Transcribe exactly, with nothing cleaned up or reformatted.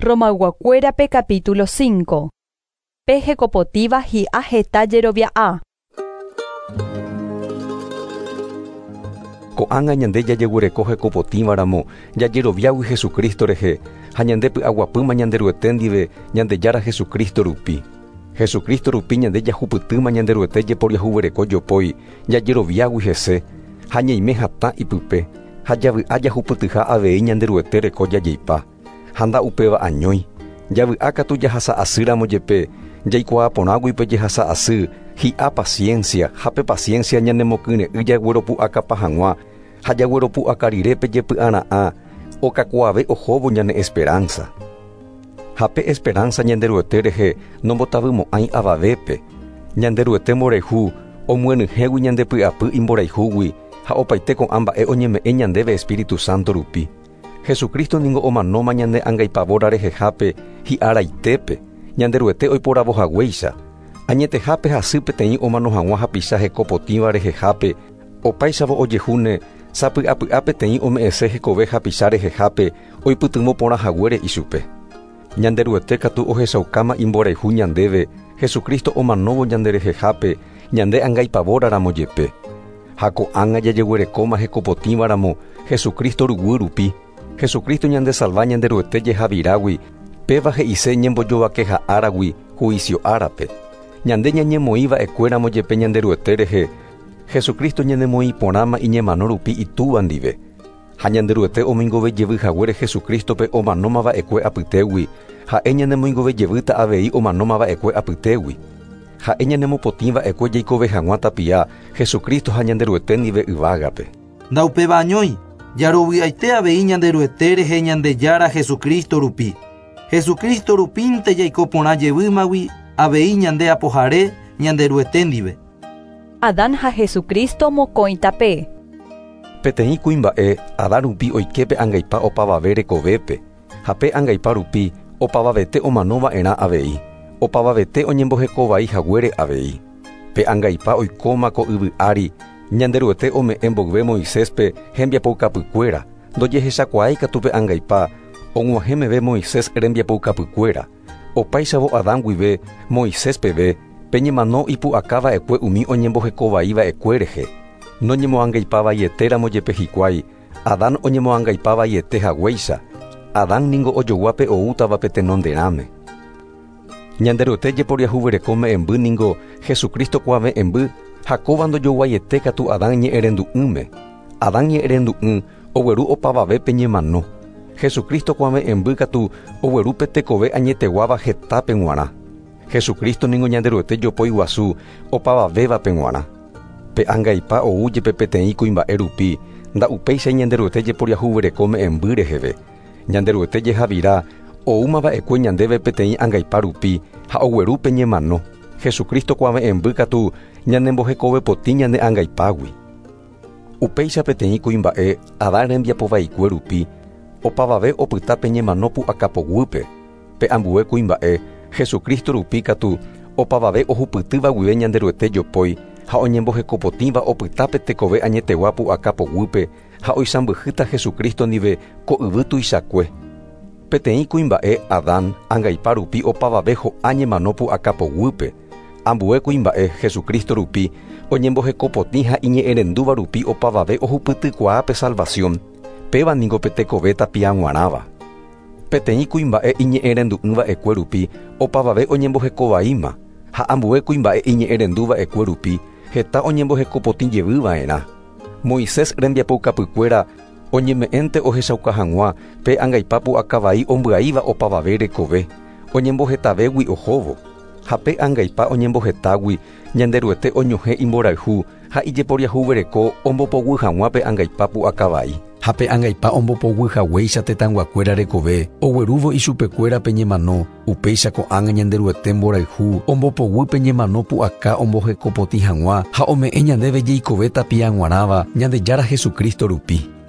Romayguakuérape capítulo cinco. Pe hekopotíva hi'a heta jerovia'a. Ko'ág̃a ñande jajeguereko hekopotĩvaramo jajeroviágui Jesucristo rehe ha ñande py'aguapýma Ñanderuete ndive Ñandejára Jesucristo rupi. Jesucristo rupi ñande jahupytýma Ñanderuete jeporiahuvereko jopói jajeroviágui hese ha ñaime hatã ipype ha javy'a jahupytyha avei Ñanderuete reko jajeipa ha nda'upéva añói javy'a katu jahasa'asýramo jepe jaikuaaporãgui pe jehasa'asy hi'a paciencia ha pe paciencia ñanemokyre'ỹ jagueropu'akapa hag̃ua ha jagueropu'aka rire pe jepy'ara'ã okakuaave ohóvo ñane esperanza. Ha pe esperanza Ñanderuete rehe nombotavymo'ãi avavépe. Ñanderuete mborayhu omyenyhẽgui ñandepy'apy imborayhúgui ha opaite ko'ã mba'e oñeme'ẽ ñandéve Espíritu Santo rupi. Jesucristo ningo omanóma ñande angaipavóra rehehápe hi'araitépe Ñanderuete oiporavohaguéicha. Añetehápe hasy peteĩ omano hag̃ua hapicha hekopotĩva rehehápe opáichavo ojehúne sapy'apy'a peteĩ ome'ẽse hekove hapicha rehehápe oipytyvõ porã haguére ichupe. Ñanderuete katu ohechaukáma imborayhu ñandéve Jesucristo omanóvo ñanderehehápe ñande angaipavóraramo jepe. Ha ko'ág̃a jajeguerekóma hekopotĩvaramo Jesucristo ruguy rupi. Jesucristo ñandesalva Ñanderuete jehavirágui péva he'ise ñembojovakeha áragui juicio árape. Ñande ñañemoĩva'ekuéramo jepe Ñanderuete rehe Jesucristo ñanemoĩporãma iñemano rupi itúva ndive. Ha Ñanderuete omoingovejevy haguére Jesucristope omanómava'ekue apytégui ha'e ñanemoingovejevýta avei omanómava'ekue apytégui. Ha'e ñanemopotĩva'ekue jaikove hag̃ua tapia Jesucristo ha Ñanderuete ndive yvágape. Ndaupéva añói jarovy'aite avei Ñanderuete rehe Ñandejára Jesucristo rupi. Jesucristo rupínte jaiko porã jevýmagui avei ñande apohare Ñanderuete ndive. Adán ha Jesucristo mokõi tape. Peteĩ kuimba'e Adán rupi oiképe angaipa opavave rekovépe ha pe angaipa rupi opavavete omanova'erã avei opavavete oñembohekovai haguére avei. Pe angaipa oikóma ko yvy ári Ñanderuete ome'ẽ mboyve Moiséspe hembiapoukapykuéra ndojehechakuaái katu pe angaipa og̃uahẽ meve Moisés rembiapoukapykuéra opáichavo Adán guive Moisés peve pe ñemano ipu'akava'ekue umi oñembohekovaiva'ekue rehe. Noñemoangaipavaietéramo jepe hikuái Adán oñemoangaipavaiete haguéicha. Adán ningo ojoguápe oútava pe tenonderãme. Ñanderuete jeporiahuvereko me'ẽmby ningo Jesucristo kuave'ẽmby ha kóva ndojoguaiete katu Adán ñe'ẽrendu'ỹme. Adán ñe'ẽrendu'ỹ ogueru opavavépe ñemano. Jesucristo kuave'ẽmby katu ogueru pe tekove añeteguáva hetápe g̃uarã. Jesucristo ningo Ñanderuete jopói guasu opavavévape g̃uarã. Pe angaipa ou jepe peteĩ kuimba'e rupi nda'upéicha Ñanderuete jeporiahuvereko me'ẽmby reheve. Ñanderuete jehavira oúmava'ekue ñandéve peteĩ angaipa rupi ha ogueru pe ñemano. Jesucristo kuave'ẽmby katu ñanembohekovepotĩ ñane angaipágui. Upéicha peteĩ kuimba'e Adán rembiapovaikue rupi opavave opyta pe ñemano pu'akapoguýpe. Pe ambue kuimba'e Jesucristo rupi katu opavave ohupytýva guive Ñanderuete jopói ha oñembohekopotĩva opyta pe tekove añetegua pu'akapoguýpe ha oisãmbyhýta Jesucristo ndive ko yvy tuichakue. Peteĩ kuimba'e Adán angaipa rupi opavave ho'a ñemano pu'akapoguýpe. Ambue kuimba'e Jesucristo rupi oñembohekopotĩ ha iñe'ẽrendúva rupi opavave ohupytykuaa pe salvación. Péva ningo pe tekove tapia g̃uarãva. Peteĩ kuimba'e iñe'ẽrendu'ỹva'ekue rupi opavave oñembohekovaíma ha ambue kuimba'e iñe'ẽrenduva'ekue rupi heta oñembohekopotĩ jevyva'erã. Moisés rembiapoukapykuéra oñeme'ẽnte ohechauka hag̃ua pe angaipa pu'akavai ombyaíva opavave rekove oñembohetavégui ohóvo. Ha pe angaipa oñembohetágui Ñanderuete oñohẽ imborayhu ha ijeporiahuvereko ombopoguy hag̃ua pe angaipa pu'akavai. Ha pe angaipa ombopoguy haguéicha tetãyguakuéra rekove oguerúvo ichupekuéra pe ñemano upéicha ko'ág̃a Ñanderuete mborayhu ombopoguy pe ñemano pu'aka ombohekopotĩ hag̃ua ha ome'ẽ ñandéve jeikove tapia g̃uarãva Ñandejára Jesucristo rupi.